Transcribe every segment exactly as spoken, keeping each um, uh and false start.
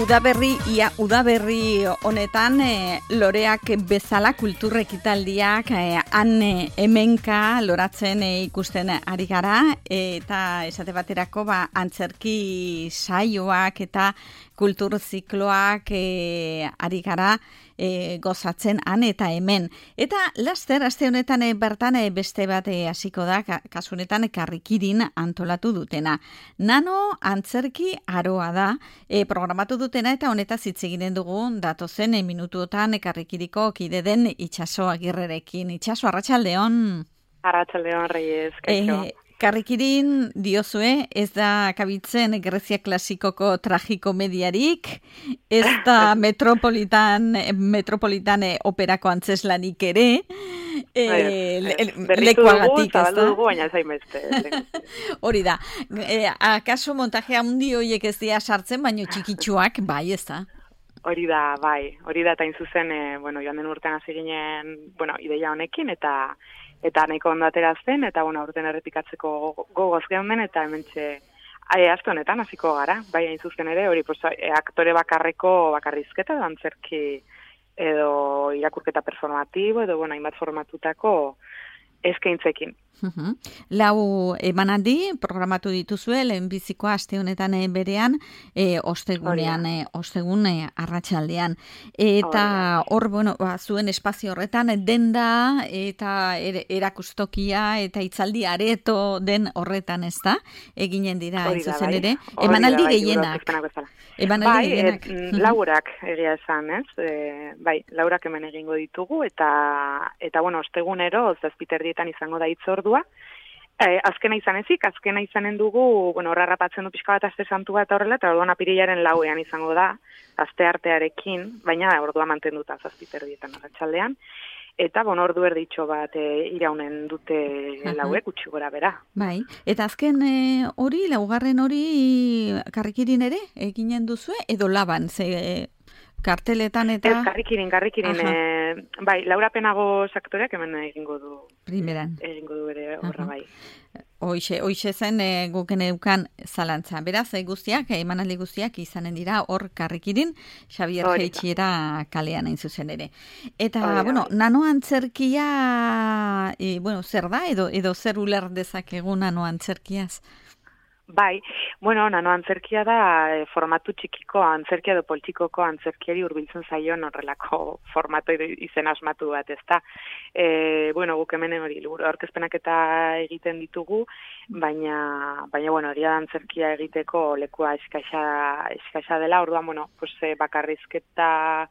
Udaberri, ia udaberri honetan e, loreak bezala kultur ekitaldiak e, han e, hemenka loratzen e, ikusten ari gara, e, eta esate baterako ba, antzerki saioak eta kultur zikloak e, ari gara e, gozatzen han eta hemen. Eta laster, aste honetan e, bertan e, beste bat e, hasiko da, kasunetan Karrikirin antolatu dutena. Nano antzerki aroa da, e, programatu dutena eta honetaz hitz egiten dugu datozen e, minutuotan Karrikiriko kide den Itxaso Agirrerekin. Itxaso, arratsaldeon. Arratsaldeon, Reyes, kaixo. E, Karrikirin diozue, ez da kabitzen Grezia klasikoko tragikomediarik, ez da metropolitan, metropolitan operako antzeslanik ere, e, le, lekuagatik, ez da? Dugu, baina zain beste. Hori da, e, akaso montajea hundi horiek ez dira sartzen, baino txikitsuak, bai, ez da? Hori da, bai, hori da, eta inzuzen, e, bueno, joan den urtean hasi ginen, bueno, ideia honekin, eta eta nahiko ondo atera zen, eta bueno, aurten errepikatzeko gogoz geunden, eta hementxe aste honetan hasiko gara, bai hain zuzen ere, hori pues, e, aktore bakarreko bakarrizketa, edo antzerki edo irakurketa performatibo, edo bueno, hainbat formatutako eskaintzekin. Uhum. Lau emanaldi programatu dituzue, lehenbizikoa aste honetan berean, e, ostegunean, e, ostegun e, arratsaldean. Eta hor, bueno, ba, zuen espazio horretan, denda eta er, erakustokia eta hitzaldi areto den horretan, ez da? Eginen dira, ez zuzen bai. ere. Emanaldi gehienak. Emanaldi bai, gehienak. Et, laurak egia esan, ez? E, bai, laurak hemen egingo ditugu, eta, eta bueno, ostegunero, zazpiterdietan izango da hitzordua. Eh, azkena izan ezik, azkena izanen dugu, bueno, horra rapatzen du pixka bat aste santua eta horrela, eta orduan apirilaren lauean izango da, aste artearekin, baina ordua mantenduta zazpiterdietan arratsaldean. Eta, bon, ordu erditxo bat e, iraunen dute lauek, utxi gora bera. Bai, eta azken e, hori, laugarren hori Karrikirin ere, eginen duzue, edo laban, ze e, karteletan eta... Ez, Karrikirin, Karrikirin, e, bai, Laura Penago aktoreak hemen egingo du. Primeran. Egingo du ere horra, bai. Hoixe, hoixe zen e, guken eukan zalantza. Beraz, e, guztiak, e, emanaldi guztiak izanen dira hor Karrikirin, Xabier Jeitxiera kalean hain zuzen ere. Eta, Orida, bueno, bai. Nano antzerkia, e, bueno, zer da, edo, edo zer uler dezakegu nano antzerkiaz? Bai, bueno, nano antzerkia da e, formatu txikiko antzerkia edo poltsikoko antzerkiari hurbiltzen zaion horrelako formato izen asmatu bat, ezta. E, bueno, guk hemen hori liburu aurkezpenak eta egiten ditugu, baina baina bueno, egia da antzerkia egiteko lekua eskaxa eskaxa dela. Orduan, bueno, pues e, bakarrizketa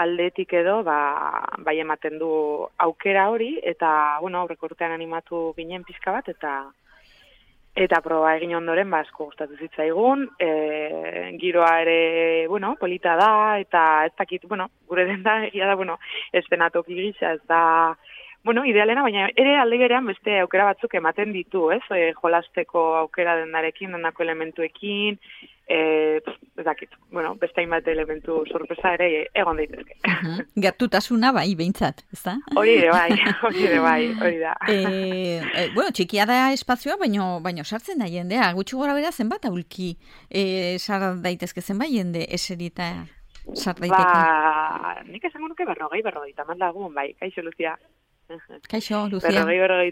aldetik edo, ba, bai ematen du aukera hori, eta bueno, aurreko urtean animatu ginen pixka bat, eta Eta proba egin ondoren, ba, asko gustatu zitzaigun, e, giroa ere, bueno, polita da, eta ez dakit, bueno, gure den da, egia da, bueno, eszenatoki gisa, ez da, bueno, idealena, baina ere alde berean beste aukera batzuk ematen ditu, ez, e, jolasteko aukera dendarekin, dendako elementuekin, e, ez dakit, bueno, beste hainbat elementu sorpresa ere egon daitezke. Uh-huh. Gertutasuna bai, behintzat, ez da? Hori ere bai, hori ere bai, hori da. E, e, bueno, txikia da espazioa, baino, baino sartzen da jendea, gutxi gora bera zenbat aulki e, sar daitezke zenbat jende eserita sar daiteke? Ba, nik esango nuke berrogei, berrogei, taman lagun, bai, kaixo Lucia. Kaixo, Lucia. Berrogei, berrogei.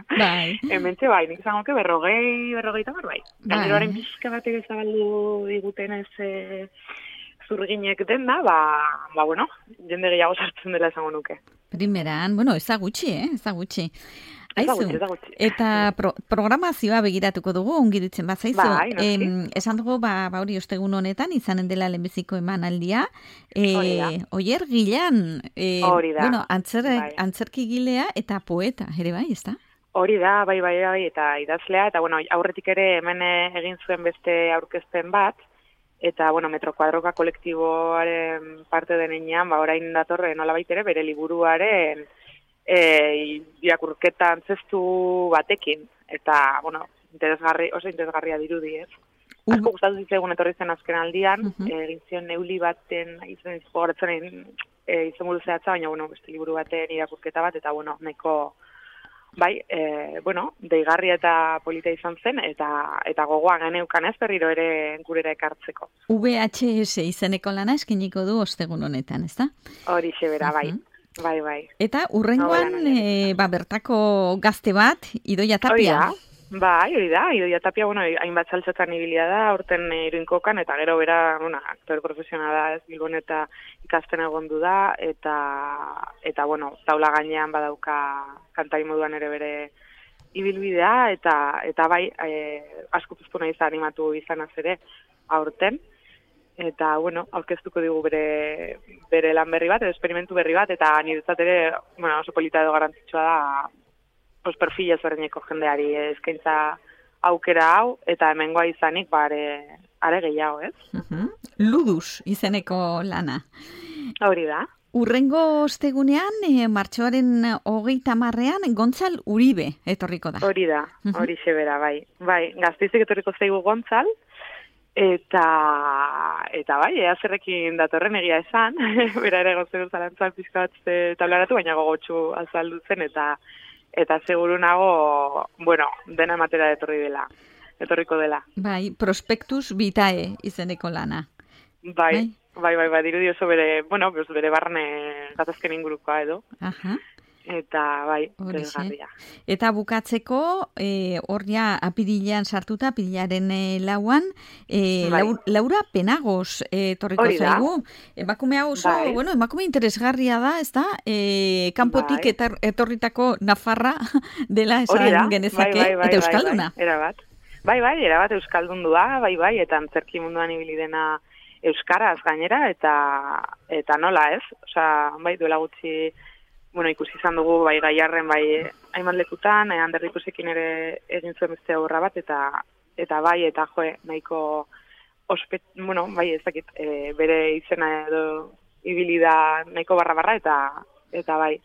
Bai. Hementxe bai, nik esango nuke berrogei, berrogei tamar, bai. Gaineroaren pixka batek ezabaldu diguten ez e, zurginek den da, ba, ba, bueno, jende gehiago sartzen dela esango nuke. Primeran, bueno, ez da gutxi, eh? Ez da gutxi. Aizu, ez da gutxi. Eta pro, programazioa begiratuko dugu, ongi ditzen bat zaizu. Bai, em, esan dugu, ba, ba hori ostegun honetan, izanen dela lehenbiziko emanaldia. E, Oier Gilan, e, bueno, antzer, bai. Antzerki gilea eta poeta, ere bai, ez da? Hori da, bai, bai, bai, eta idazlea, eta bueno, aurretik ere hemen egin zuen beste aurkezpen bat, eta, bueno, Metro Kuadroka kolektiboaren parte denean, ba, orain datorre nolabait ere, bere liburuaren E, irakurketa antzestu batekin, eta, bueno, interesgarri, oso interesgarria dirudi, ez? Uh-huh. Asko gustatu zitzaigun etorri zen azken aldian, uh-huh. egin zion neuli baten, izan izgoratzen e, izan buru zehatza, baina, bueno, beste liburu baten irakurketa bat, eta, bueno, nahiko bai, e, bueno, deigarria eta polita izan zen, eta eta gogoa geneukan ez berriro ere gurera ekartzeko. V H S izeneko lana eskiniko du ostegun honetan, ezta? Hori xebera, bai. Uh-huh. Bai, bai. Eta urrengoan, e, ba, bertako gazte bat, Idoia Tapia. Hori da. Bai, hori da, Idoia Tapia, bueno, hainbat saltzetan ibilia da, aurten Iruinkokan, eta gero bera, bueno, aktore profesionala da, ez, Bilbon eta ikasten egondu da, eta, eta bueno, taula gainean badauka kantai moduan ere bere ibilbidea, eta, eta bai, e, asko puztu nahi animatu izanaz ere aurten, eta, bueno, aurkeztuko digu bere, bere lan berri bat, edo esperimentu berri bat, eta niretzat ere, bueno, oso polita edo garrantzitsua da, os perfil ezberdineko jendeari eskaintza aukera hau, eta hemengoa izanik bare are gehiago, ez? Uh-huh. Ludus izeneko lana. Hori da. Urrengo ostegunean, e, martxoaren hogeita marrean, Gontzal Uribe etorriko da. Hori da, hori uh-huh. xebera, bai. Bai, Gasteizik etorriko zaigu Gontzal, eta, eta bai, ea zerrekin datorren egia esan, bera ere gozen zalantzan pizka bat tablaratu, baina gogotsu azaldu zen, eta eta seguru nago, bueno, dena ematera etorri dela, etorriko dela. Bai, Prospektus Vitae izeneko lana. Bai, bai, bai, bai, dirudi oso bere, bueno, bere barne gatazken ingurukoa edo. Aha. Eta bai, desgarria. Eta bukatzeko, e, hor ja apirilean sartuta, apirilaren e, lauan, e, bai. Laura, Laura Penagos e, torriko zaigu. Emakume hau oso, bai. bueno, emakume interesgarria da, ez da? E, kanpotik bai. etar, etorritako Nafarra dela esan genezake, bai, bai, bai, eta euskalduna. Bai, bai, erabat. Bai, bai, erabat euskaldundua, bai, bai, eta antzerki munduan ibili dena euskaraz gainera, eta eta nola ez? Osea, bai, duela gutxi bueno, ikusi izan dugu bai Gaiarren bai hainbat lekutan, eh, Ander Ikusekin ere egin zuen beste obra bat, eta eta bai, eta joe, nahiko ospet, bueno, bai, ez dakit, e, bere izena edo ibili da nahiko barra-barra, eta eta bai,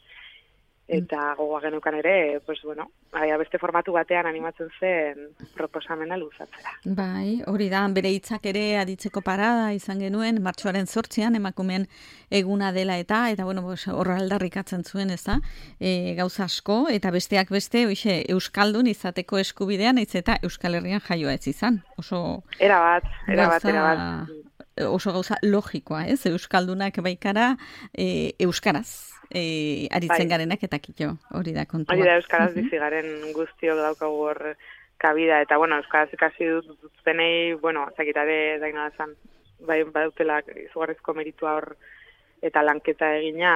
eta gogoa genukan ere, pues bueno, bai, beste formatu batean animatzen zen proposamena luzatzera. Bai, hori da, bere hitzak ere aditzeko parada izan genuen, martxoaren zortzian, emakumeen eguna dela eta, eta bueno, horra aldarrikatzen zuen, ez da, e, gauza asko, eta besteak beste, oixe, euskaldun izateko eskubidean, ez eta Euskal Herrian jaioa ez izan. Oso era bat, era bat, era bat. Oso gauza logikoa, ez? Euskaldunak baikara e, euskaraz e, aritzen bai. garenak eta kito, hori da kontua. Hori da, euskaraz uh-huh. bizi garen guztiok daukagu hor kabida, eta bueno, euskaraz ikasi dut zenei, bueno, zakitare daina zan, bai, badutela izugarrizko meritua hor eta lanketa egina,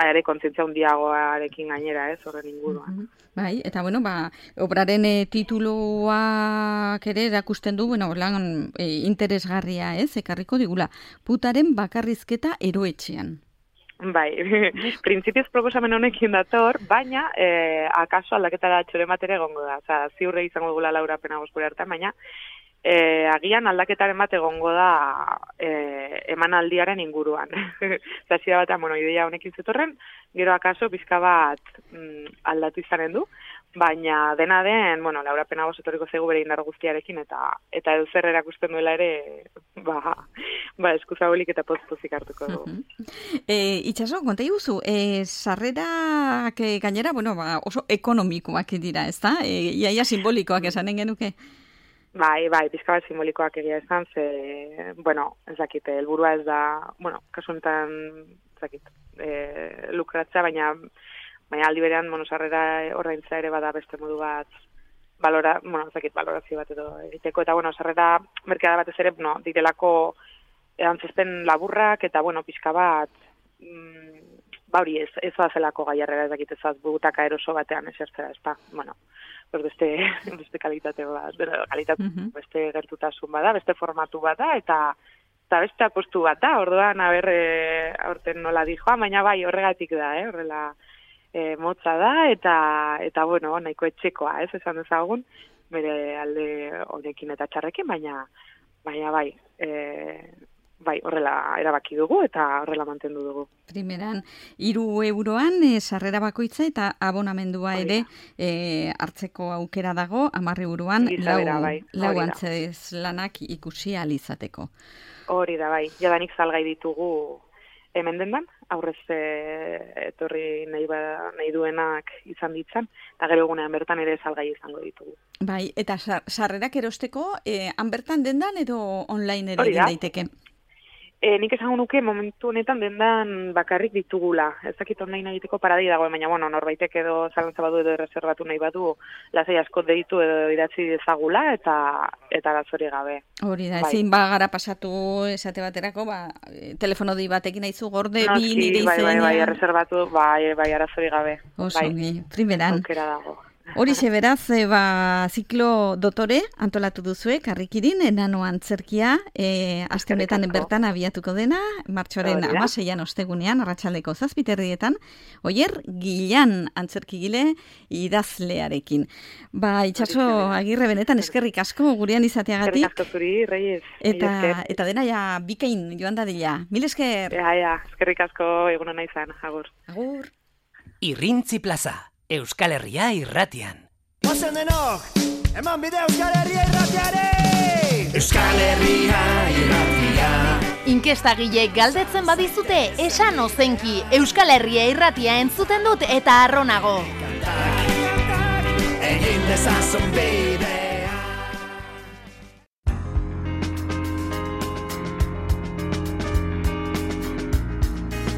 ere kontzientzia hundiagoarekin gainera, ez, horren inguruan. Uh-huh. Bai, eta bueno, ba, obraren e, tituluak ere erakusten du, bueno, lan e, interesgarria, ez, ekarriko digula, putaren bakarrizketa eroetxean. Bai, printzipioz proposamen honekin dator, baina e, akaso aldaketa da txore matere gongo da, oza, ziurre izango dugula Laura Penagos gure hartan, baina E, agian aldaketaren bat egongo da e, emanaldiaren inguruan. Zazira bat, bueno, ideia honekin zetorren, gero akaso pizka bat mm, aldatu izanen du, baina dena den, bueno, Laura Penagos etorriko zaigu bere indar guztiarekin, eta eta edo zer erakusten duela ere, ba, ba eskuzabolik eta poz-pozik hartuko du. Uh-huh. E, itxaso, konta iguzu, e, sarrerak gainera, bueno, ba, oso ekonomikoak dira, ez da? E, iaia simbolikoak esanen genuke? Bai, bai, pizka bat simbolikoak egia esan, ze, bueno, ez dakit, helburua ez da, bueno, kasu honetan, ez dakit, e, lukratzea, baina, baina aldi berean, monosarrera ordaintza ere bada beste modu bat, balora, bueno, ez dakit, balorazio bat edo egiteko, eta, bueno, sarrera merkeada batez ere, no, direlako antzespen laburrak, eta, bueno, pizka bat, mm, bauri ez, ez zelako gaiarrera, ez dakit, ez butaka eroso batean esertzera, ez da, bueno, beste, beste kalitate bat, kalitate uh-huh. beste gertutasun bada, beste formatu bada, eta, eta beste apostu bat da, orduan, haber, e, aurten nola dijoa, baina bai, horregatik da, eh, horrela e, motza da, eta, eta bueno, nahiko etxekoa, ez, esan dezagun, bere alde honekin eta txarrekin, baina, baina bai, e, bai, horrela erabaki dugu eta horrela mantendu dugu. Primeran, hiru euroan e, sarrera bakoitza eta abonamendua ere e, hartzeko aukera dago, hamar euroan lau, bai. lau antzez lanak ikusi alizateko. Hori da, bai. Jadanik salgai ditugu hemen dendan, aurrez e, etorri nahi, ba, nahi duenak izan ditzan, eta gero egunean bertan ere salgai izango ditugu. Bai, eta sarrerak erosteko, e, han bertan dendan edo online ere egin daiteke? E, nik esango nuke momentu honetan dendan bakarrik ditugula. Ez dakit online egiteko paradei dago, baina bueno, norbaitek edo zalantza badu edo erreserbatu nahi badu, lasai asko deitu edo idatzi dezagula eta eta arazori gabe. Hori da, ezin bai. Bagara pasatu esate baterako, ba, telefono di batekin aizu gorde no, bi nire bai, izenean. Bai, bai, erreserbatu, bai, bai, arazori gabe. Oso, bai. primeran. Aukera dago. Horixe beraz, e, ba, ziklo dotore antolatu duzue, Karrikirin, enano antzerkia, e, aste honetan bertan abiatuko dena, martxoaren hamaseian ostegunean, arratsaldeko zazpiterrietan, Oier Gilan antzerkigile idazlearekin. Ba, Itxaso Agirre, benetan eskerrik asko gurean izateagatik. Eskerrik asko zuri, Reyes. Eta, eta dena ja bikain joan dadila. Mil esker. Ja, ja, eskerrik asko egunon izan, agur. Agur. Irrintzi Plaza. Euskal Herria irratian. Ozen denok, eman bide Euskal Herria irratiare! Euskal Herria irratia. Inkestagile galdetzen badizute, esan ozenki Euskal Herria irratia entzuten dut eta arronago. Kantak, egin dezazun bide.